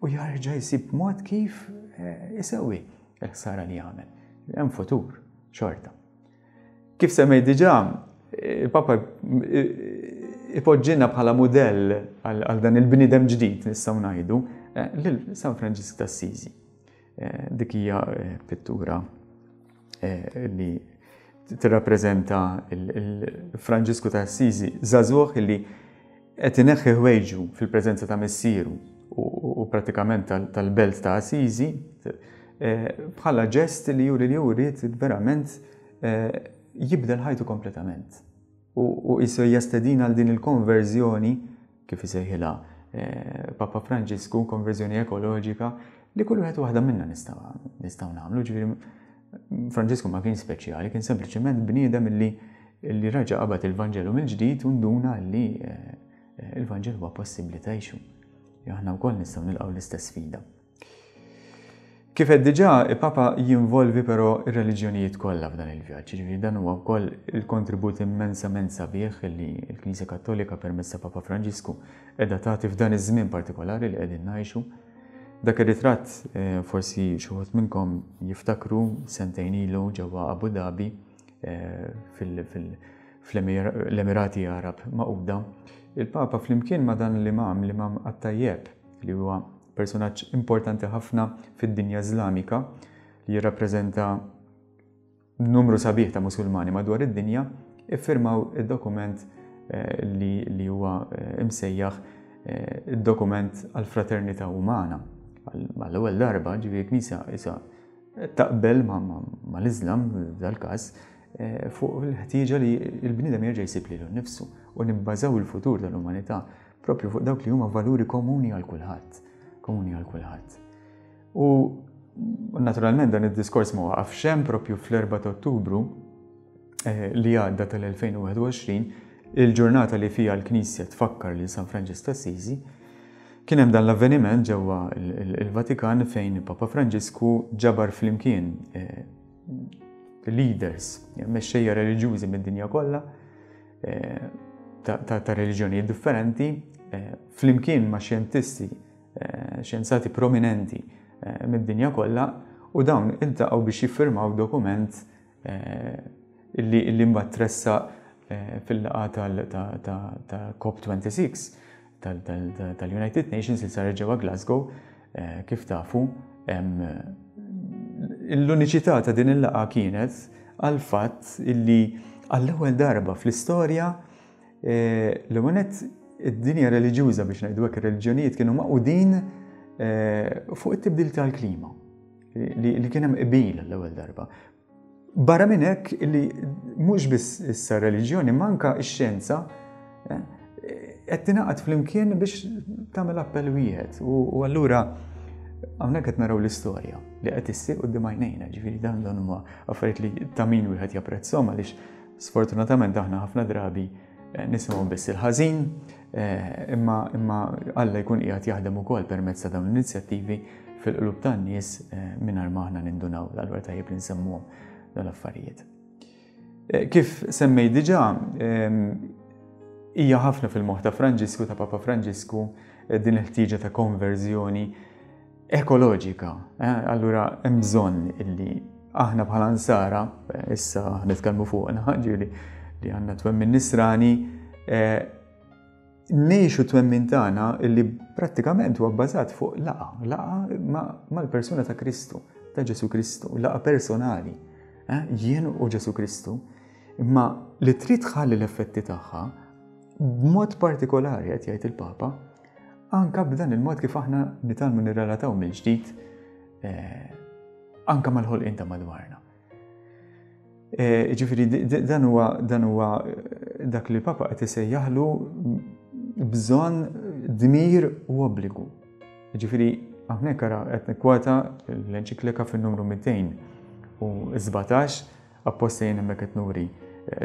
u jarġa' jsib mod kif, eh, isewwi l-ħsara li jagħmel. Hemm futur xorta. Kif semmejt diġà, il-Papa ipoġġina bħala mudell għal, għal dan il-bniedem ġdid nistgħu ngħidu, eh, lil San Franġisk t'Assisi. Eh, dik hija, eh, pittura, eh, li tirrappreżenta il-Franġisku ta' Assisi, żagħżugħ li qed ineħħi ħwejġu fil-preżenza ta' missieru u, u pratikament tal-, tal-belt ta' Assisi, eh, bħala ġest li juri li hu jrid verament, eh, jibdel ħajtu kompletament. U, u qisu jastedina għal din il-konverżjoni, kif isejħilha, eh, Papa Franġisku, konverżjoni ekoloġika, li kull wieħed waħda minna nistgħu, nistgħu nagħmlu. Ġifieri Franġisku ma kien speċjali, kien sempliċement bniedem li, li raġa' qabad il-Vanġelu mill-ġdid u nduna li, eh, il-Vanġelu huwa possibbli tgħixu. Aħna wkoll nistgħu nilqgħu l-istess sfida. Kif qed diġà, il-Papa jinvolvi però ir-reliġjonijiet kollha f'dan il-vjaġġ, ġifieri dan huwa wkoll il-kontribut immensament sabiħ li l-Knisja Kattolika permezz ta' Papa Franġisku qiegħda tagħti f'dan iż-żmien partikolari li qegħdin ngħixu. Dak ir-ritratt, eh, forsi xi wħud minnkom jiftakru sentejn ilu ġewwa Abu Dhabi, eh, fil-, fil-, fl-Emirati Arab Magħquda, il-Papa flimkien ma' dan l-imam, l-imam At-Tajjeb, li huwa personaġġ importanti ħafna fid-dinja Iżlamika, li jirrappreżenta numru sabiħ ta' Musulmani madwar id-dinja, iffirmaw id-dokument, eh, li, li huwa, eh, imsejjaħ, eh, id-dokument għall-fraternità umana. Għall-ewwel darba, ġifieri l-Knisja issa taqbel ma-, ma-, mal-Iżlam f'dal-każ, eh, fuq il-ħtieġa li l-bniedem jerġa' jsib lilu nnifsu u nibbażaw il-futur tal-umanità propju fuq dawk li huma valuri komuni għal kulħadd, komuni għal kulħadd. U naturalment dan id-diskors ma waqafx hemm, propju fl-erbgħa ta' Ottubru li għadda tal-elfejn u wieħed u għoxrin, il-ġurnata li fija l-Knisja tfakkar lil San Franġisk ta' Assisi, kien hemm dan l-avveniment ġewwa il-Vatikan fejn Papa Franġisku ġabar flimkien leaders, mexxejja reliġjużi mid-dinja kollha, ta' reliġjonijiet differenti, flimkien ma' xjentisti, xjenzati prominenti mid-dinja kollha, u dawn iltaqgħu biex jiffirmaw dokument illi, illi mbagħad tressaq fil-laqgħa ta' COP twenty-six tal-United Nations li saret ġewwa Glasgow, kif tafu. L-uniċità ta' din il-laqgħa kienet għal fatt illi għall-ewwel darba fl-istorja l-ewwel nett id-dinja reliġjuża, biex ngħidu hekk, ir-reliġjonijiet kienu maqudin fuq it-tibdil tal-klima, li kien hemm qbil l-ewwel darba. Barra minn hekk li mhux biss issa reliġjoni, ma anke x-xjenza qed tingħaqad flimkien biex tagħmel appell wieħed. U allura hawnhekk qed naraw l-istorja li qed issir quddiem għajnejna, ġifieri dan dan huma affarijiet li ta' min wieħed japprezzhom, għaliex sfortunatament aħna ħafna drabi nisimgħu biss il-ħażin, imma, imma Alla jkun qiegħed jaħdem ukoll permezz ta' dawn l-inizjattivi fil-qlub tan-nies mingħajr ma aħna nindunaw. Allura tajjeb li nsemmuhom dawn l-affarijiet. Kif semmej diġà, hija ħafna fil-moħħ ta' Franġisku, ta' Papa Franġisku, din il-ħtieġa ta' konverżjoni ekoloġika. Allura hemm bżonn illi aħna bħala nsara, issa nitkellmu fuqna, ġifieri li għandna twemmin nisrani, ngħixu twemmin tagħna illi prattikament huwa bbażat fuq laqgħa, laqgħa mal-persuna ta' Kristu, ta' Ġesu Kristu, laqgħa personali, jien u Ġesu Kristu, imma li trid tħalli l-effetti tagħha b'mod partikolari qed jgħid il-Papa, anka b'dan il-mod kif aħna nitgħallmu nirrelataw mill-ġdid anka mal-ħolqien ta' madwarna. Ġifieri dan huwa, dan huwa dak li l-Papa qed isejjaħlu bżonn, dmir u obbligu. Ġifieri hawnhekk ara qed nikkwota l-enċiklika fin-numru mitejn u sbatax, apposta jien hemmhekk qed nuri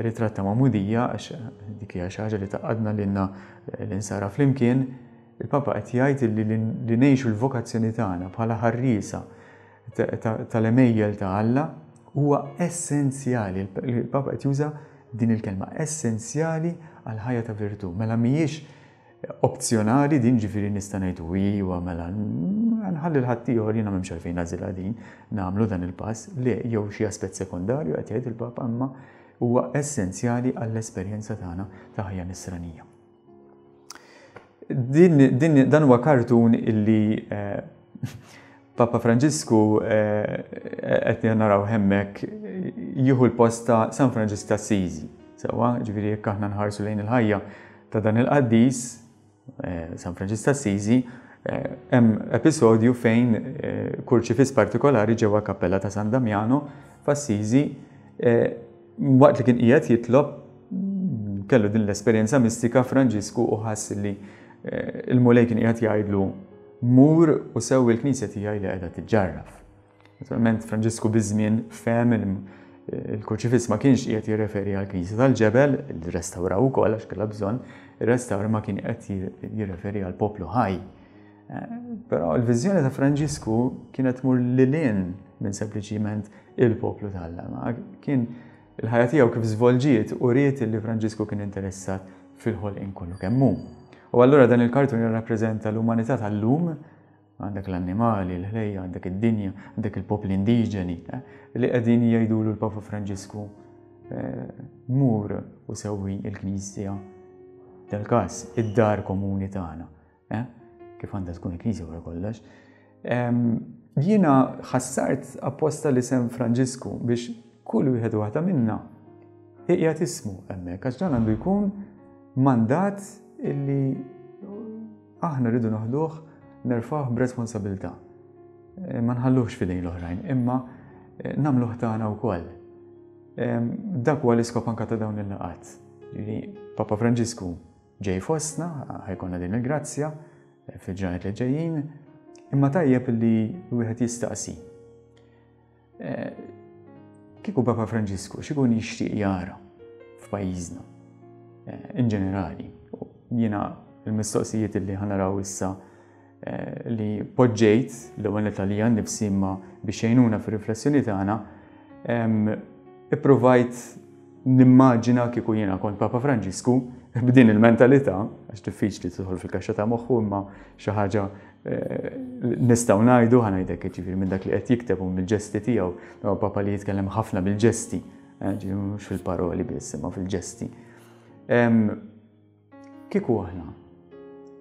ritratt ta' magħmudija, għax dik hija xi ħaġa li taqadna lilna l-insara flimkien. Il-Papa qed jgħid li li ngħixu l-vokazzjoni tagħna bħala ħarriesa tal-għemejjel ta' Alla huwa essenzjali. Il-Papa qed juża din il-kelma essenzjali għal ħajja ta' virtù. Mela mhijiex opzjonali din, ġifieri nista' ngħidu iwa mela nħalli l-ħaddieħor, jiena m'hemmx għalfejn nagħżilha din, nagħmlu dan il-pass, le, jew xi aspett sekondarju qed jgħid il-Papa, imma huwa essenzjali għall-esperjenza tagħna ta' ħajja nisranija. Din, din, dan huwa kartun illi, eh, Papa Franġisku, eh, qed naraw hemmhekk jieħu l-post ta' San Franġisk ta' Assisi. Sewwa, ġifieri jekk aħna nħarsu lejn il-ħajja ta' dan il-qaddis, eh, San Franġisk ta' Assisi, eh, hemm episodju fejn, eh, kurċifiss partikolari ġewwa kappella ta' San Damiano f'Assisi, eh, waqt li kien qiegħed jitlob kellu din l-esperjenza mistika Franġisku u ħass li, eh, il-Mulej kien qiegħed jgħidlu mur u sewwi l-knisja tiegħi li qiegħda tiġġarraf. Naturalment Franġisku biż-żmien fehem il-kurċifiss ma kienx qiegħed jirreferi għall-knisja tal-ġebel, li restawraw ukoll għax kellha bżonn, ir-restawr ma kien qed jirreferi għal poplu ħaj. Eh, però l-viżjoni ta' Franġisku kienet tmur lil hinn minn sempliċiment il-poplu t'Alla, ma kien il-ħajja tiegħu kif żvolġiet u ried li Franġisku kien interessat fil-ħolqien kollu kemm hu. U allura dan il-kartun jirrappreżenta l-umanità tal-lum, għandek l-annimali, l-ħlejja, għandek id-dinja, għandek il-popli indiġeni, eh, li qegħdin jgħidulu l-Papa Franġisku, eh, mur u sewwi il-Knisja, dal-każ id-dar komuni tagħna, eh, kif għandha tkun il-Knisja wara kollox. Em, jiena ħassart apposta li sem Franġisku biex kull wieħed u waħda minna qiegħed ismu hemmhekk, għax dan għandu jkun mandat illi aħna rridu noħduh, nerfgħuh b'responsabilità. Eh, ma nħalluhx f'idejn l-oħrajn, imma, eh, nagħmluh tagħna wkoll. Em, dak huwa l-iskop anke ta' dawn il-laqgħat. Ġifieri Papa Franġisku ġej fostna, ħajkonna din il-grazzja, eh, fil-ġranet li ġejjin, imma tajjeb li wieħed jistaqsi. Eh, Kieku Papa Franġisku x'ikun jixtieq jara f'pajjiżna eh, in ġenerali? Jiena l-mistoqsijiet li ħa naraw issa eh, li poġġejt l-ewwel għalija nnifsi imma biex jgħinuna fir-riflessjoni tagħna, ippruvajt nimmaġina kieku jiena kont Papa Franġisku b'din il-mentalità, għax diffiċli tidħol fil-kaxxa ta' moħħu, imma xi ħaġa eh, nistgħu ngħidu, ħa ngħidlek, ġifieri minn dak li qed jikteb u mill-ġesti tiegħu, huwa Papa li jitkellem ħafna bil-ġesti, eh, ġifieri mhux fil-paroli biss, imma fil-ġesti. Kieku aħna,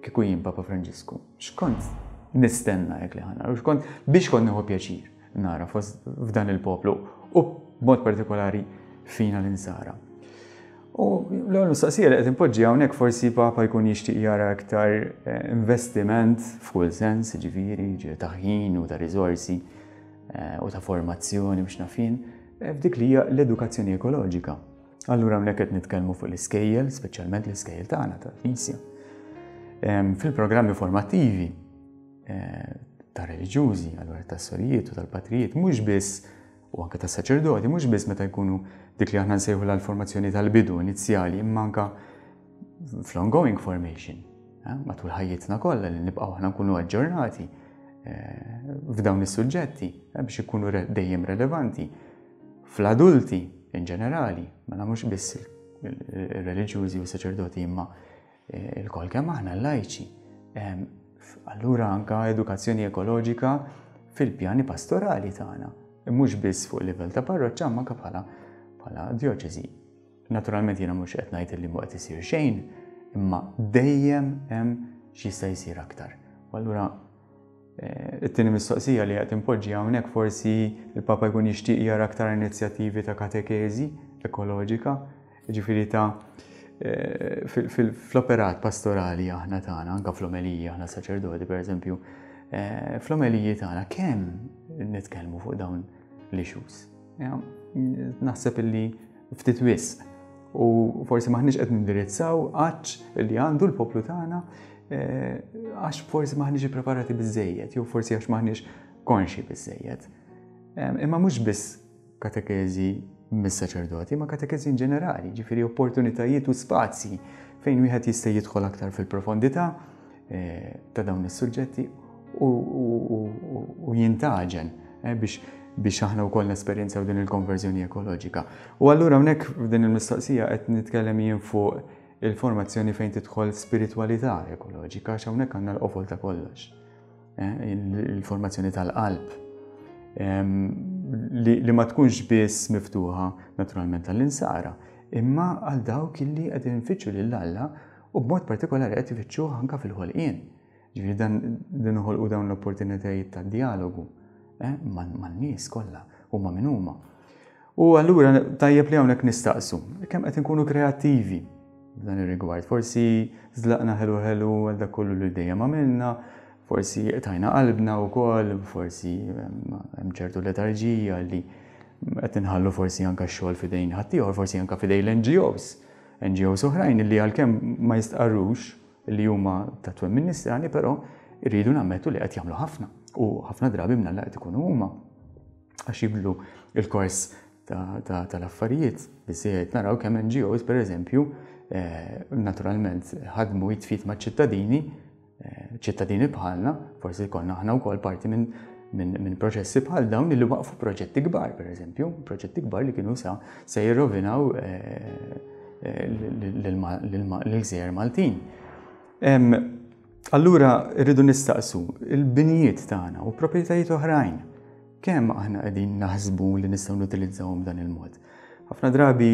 kieku jien Papa Franġisku, x'kont nistenna jekk li ħa nara, x'kont biex kont nieħu pjaċir nara f'dan il-poplu u b'mod partikolari fina l-insara? U l-ewwel mistoqsija li qed inpoġġi hawnhekk, forsi Papa jkun jixtieq jara aktar eh, investiment f'kull sens, ġifieri, ġifieri ta' ħin u ta' riżorsi eh, u ta' formazzjoni biex nafin, eh, f'dik li hija l-edukazzjoni ekoloġika. Allura hawnhekk qed nitkellmu fuq l-iskejjel, speċjalment l-iskejjel tagħna tal-Knisja. Fil-programmi formattivi ta' reliġjużi, allura tas-sorijiet u tal-patrijiet, mhux biss, u anke tas-saċerdoti, mhux biss meta jkunu dik li aħna nsejħu l-formazzjoni tal-bidu inizjali, imma anke fl-ongoing formation, eh, matul ħajjitna kollha li nibqgħu aħna nkunu aġġornati eh, f'dawn is-suġġetti eh, biex ikunu dejjem relevanti. Fl-adulti in ġenerali, ma mhux biss il-reliġjużi u saċerdoti, imma il-kol kemm aħna l-lajċi. Allura anka edukazzjoni ekoloġika fil-pjani pastorali tagħna, mhux biss fuq livell ta' parroċċa, ma anke bħala bħala djoċesi. Naturalment jiena mhux qed ngħid li mhu qed isir xejn, imma dejjem hemm x'jista' jsir aktar. U allura eh, it-tieni mistoqsija li qed impoġġi hawnhekk, forsi il-Papa jkun jixtieq jara aktar inizjattivi ta' katekeżi ekoloġika, ġifieri ta' eh, fl-operat pastorali aħna tagħna, anke fl-omeliji aħna saċerdoti pereżempju, eh, fl-omeliji tagħna kemm nitkellmu fuq dawn l-issues? Naħseb illi ftit wisq u forsi maħniex qed nindirizzaw għatx li għandu l-poplu tagħna eh, għax forsi maħniex ippreparati biżejjed jew forsi għax maħniex konxi biżejjed. Imma mhux biss katekeżi mis-saċerdoti, ma katekeżi in ġenerali, ġifieri opportunitajiet u spazji fejn wieħed jista' jidħol aktar fil-profondità eh, ta' dawn is-suġġetti u jintaġen eh, biex biex aħna wkoll nesperjenzaw din il-konverżjoni ekoloġika. U allura hawnhekk f'din il-mistoqsija qed nitkellem jien fuq il-formazzjoni fejn tidħol spiritualità ekoloġika, għax hawnhekk għandna l-qofol ta' kollox. Eh, il-formazzjoni tal-qalb li ma tkunx biss miftuħa naturalment għall-insara, imma għal dawk illi qed infittxu lil Alla u b'mod partikolari qed ifittxuh anke fil-ħolqien. Ġifieri dan din noħolqu dawn l-opportunitajiet ta' dialogu eh, man-nies kollha, huma min huma. U allura tajjeb li hawnhekk nistaqsu kemm qed inkunu kreattivi f'dan ir-rigward. Forsi żlaqna ħelu ħelu għal dak kollu li dejjem għamilna, forsi tajna qalbna wkoll, forsi hemm ċertu letarġija li qed inħallu forsi anke x-xogħol f'idejn ħaddieħor, forsi anke f'idejn l-N G Os. N G Os oħrajn li għalkemm ma jistqarrux li huma ta' twemmin nisrani, però rridu nammettu li qed jagħmlu ħafna. U ħafna drabi mnalla qed ikunu huma għax jibdlu il-kors tal-affarijiet. Biżejjed naraw kemm N G Os per eżempju, eh, naturalment ħadmu id f'id ma' ċittadini, eh, ċittadini bħalna, forsi konna aħna wkoll parti minn min, min proċessi bħal dawn li waqfu proġetti kbar, per eżempju, proġetti kbar li kienu sa se jirrovinaw eh, l-gżejjer Maltin. Allura rridu nistaqsu il-binijiet tagħna u proprjetajiet oħrajn, kemm aħna qegħdin naħsbu li nistgħu nutilizzawhom dan il-mod? Ħafna drabi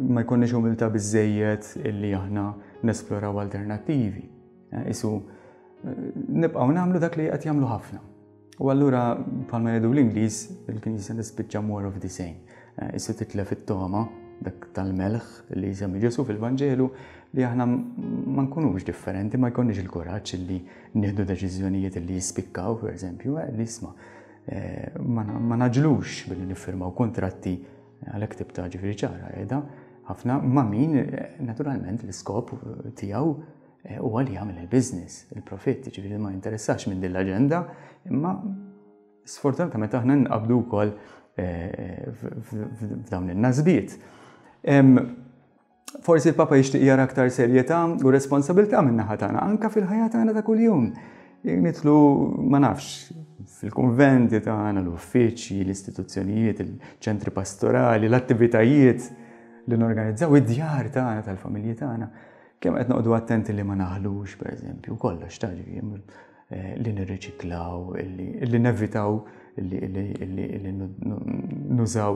ma jkollniex umiltà biżejjed illi aħna nesploraw alternattivi. Eh, isu eh, nibqgħu nagħmlu dak li qed jagħmlu ħafna. U allura, bħalma jgħidu l-Ingliż, il-Knisja nispiċċa more of the same. Eh, isu titlef it-toma dak tal-melħ li jsemmi Ġesu fil-Vanġelu, li aħna ma nkunux differenti, ma jkollniex il-kuraġġ li nieħdu deċiżjonijiet li jispikkaw, per eżempju, li isma' ma ngħaġġlux billi niffirmaw kontratti, għalhekk tibta ġifieri ċara qiegħda ħafna ma' min naturalment l-iskop tiegħu huwa li jagħmel il-business, il-profitt, ġifieri ma jinteressax minn din l-aġenda, imma sfortunatament aħna nqabdu wkoll f'dawn in-nasbiet. Forsi l-Papa jixtieq jara aktar serjetà u responsabilità min-naħa tagħna anke fil-ħajja tagħna ta' kuljum. Nitlu, ma nafx, fil-konventi tagħna, l-uffiċċji, l-istituzzjonijiet, il-ċentri pastorali, l-attivitajiet li norganizzaw, id-djar tagħna tal-familji tagħna. Kemm qed noqogħdu attenti li ma naħlux, pereżempju, kollox ta' ġifieri li nirriċiklaw, li nevitaw, li nużaw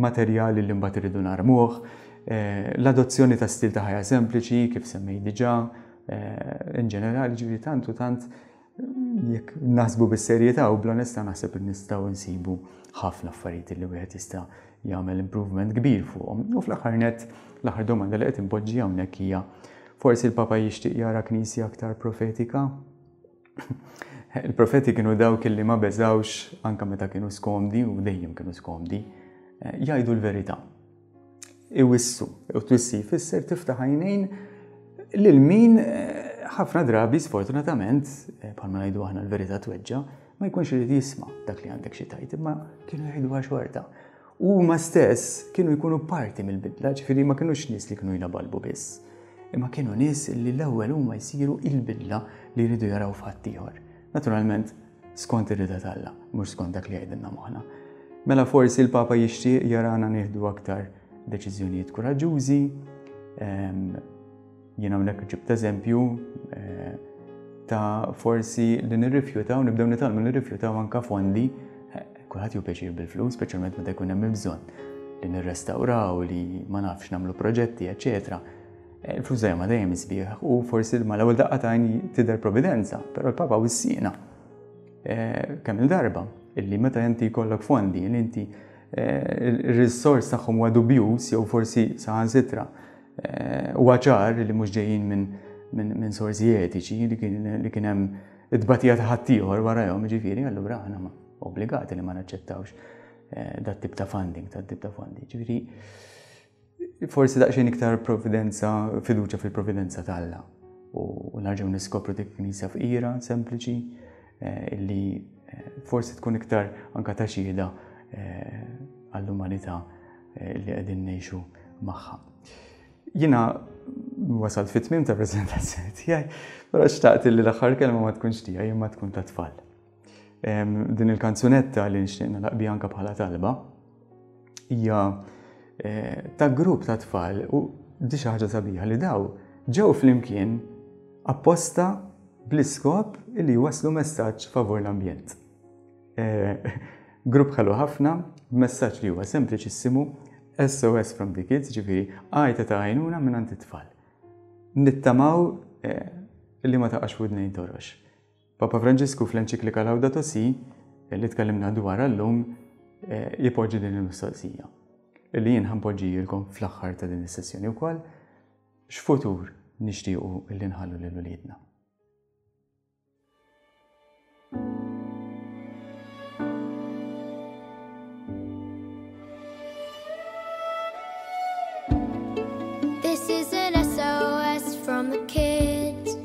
materjali li mbagħad irridu narmuh, l-adozzjoni ta' stil ta' ħajja sempliċi kif semmej diġà, in ġenerali ġifieri tant u tant jekk naħsbu bis-serjetà u bl-onestà naħseb li nistgħu nsibu ħafna affarijiet li wieħed jista' jagħmel improvement kbir fuqhom. U fl-aħħar nett, l-aħħar domanda li qed inpoġġi hawnhekk hija forsi l-Papa jixtieq jara knisja aktar profetika? Il-profeti kienu dawk li ma beżawx anke meta kienu skomdi u dejjem kienu skomdi, jgħidu l-verità. Iwissu, u twissi jfisser tiftaħ għajnejn lil min ħafna drabi sfortunatament, bħalma ngħidu aħna l-verità tweġġa, ma jkunx irid jisma' dak li għandek xi tgħid, imma kienu jgħiduha xorta. U huma stess kienu jkunu parti mill-bidla, ġifieri ma kinux nies li kienu jlabalbu biss. Imma kienu nies li l-ewwel huma jsiru il-bidla li jridu jaraw f'ħaddieħor. Naturalment, skont ir-rieda t'Alla, mhux skont dak li jgħidilna moħħna. Mela forsi l-Papa jixtieq jarana nieħdu aktar deċiżjonijiet kuraġġużi. Jien hawnhekk ġibt eżempju ta' forsi li nirrifjutaw, nibdew nitgħallmu nirrifjutaw anke fondi. Kulħadd ju pjaċir bil-flus, speċjalment meta jkun hemm il-bżonn li nirrestawraw, li ma nafx nagħmlu proġetti, eċetera. Il-flus dejjem ma dejjem isbieħ u forsi mal-ewwel daqqa ta' għajn tidher providenza, però l-Papa wissiena kemm il-darba illi meta inti jkollok fondi li inti ir-risors tagħhom huwa dubjuż jew forsi saħansitra huwa ċar li mhux ġejjin minn sorsi etiċi li kien hemm it-tbatija ta' ħaddieħor warahom, ġifieri allura aħna obbligati li ma naċċettawx dat tip ta' funding, dat tip ta' fondi. Ġifieri forsi daqsxejn iktar providenza, fiduċja fil-providenza t'Alla u nerġgħu niskopru dik knisja fqira, sempliċi, illi forsi tkun iktar anka ta' xhieda għall-umanità li qegħdin ngħixu magħha. Jiena wasalt fit-tmiem ta' preżentazzjoni tiegħi, però xtaqt li l-aħħar kelma ma tkunx tiegħi imma tkun ta' tfal. Din il-kanzunetta li nixtieq nagħlaq biha anke bħala talba hija ta' grupp ta' tfal u di xi ħaġa sabiħa li daw ġew flimkien apposta bl-iskop li jwasslu messaġġ favur l-ambjent. Grupp ħelu ħafna, messaġġ li huwa sempliċissimu, S O S from the kids, ġifieri għajta ta' għajnuna minn it-tfal. Nittamaw li ma taqax f'widnejn torox. Papa Franġisku fl-enċiklika Laudato Si, li tkellimna dwar llum, jipoġġi din il-mistoqsija. Illi jien ħanpoġġijilkom fl-aħħar ta' din is-sessjoni wkoll, x'futur nixtiequ illi nħallu lil uliedna. This is an S O S from the kids.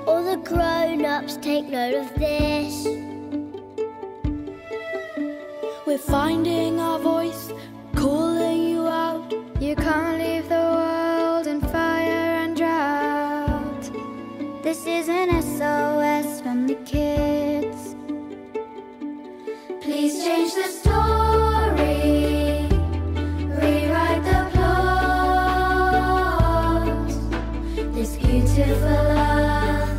All the grown-ups take note of this. We're finding our voice, calling you out. You can't leave the world in fire and drought. This is an S O S from the kids. Please change the story, rewrite the plot. This beautiful earth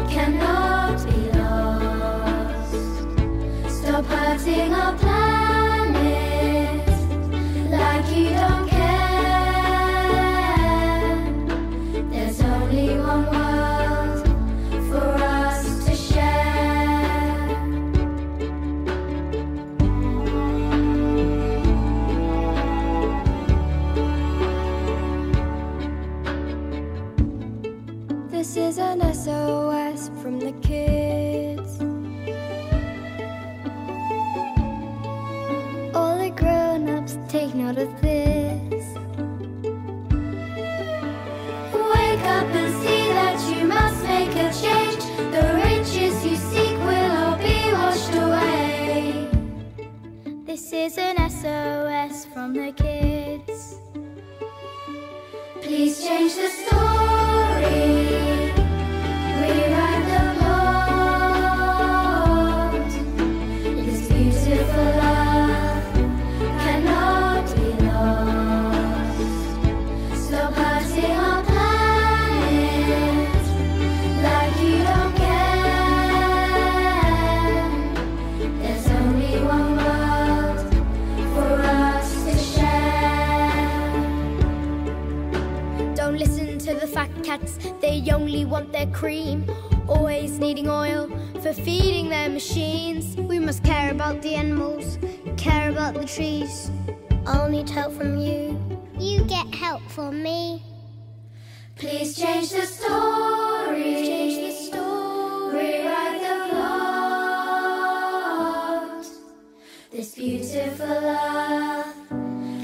cannot be lost. Stop hurting our planet like you don't care. There's only one world for us to share. This is an S O S from the kids. All the grown-ups take note of this. Wake up and see that you must make a change. The rich Please change the story, rewrite the plot. This beautiful love cannot be lost. Stop hurting our planet like you don't care. There's only one world for us to share. Don't listen to the fat cats, they only want their cream. Always needing oil for feeding their machines. We must care about the animals, care about the trees. I'll need help from you. You get help from me. Please change the story. Change the story. Rewrite the plot. This beautiful earth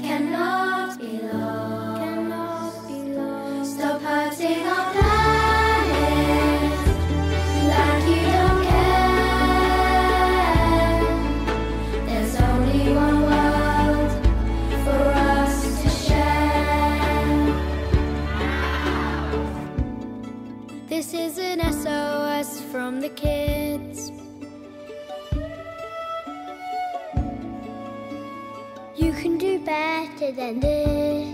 cannot be lost. Cannot be lost. Stop hurting our planet like you don't care. There's only one world for us to share. This is an S O S from the kids. You can do better than this.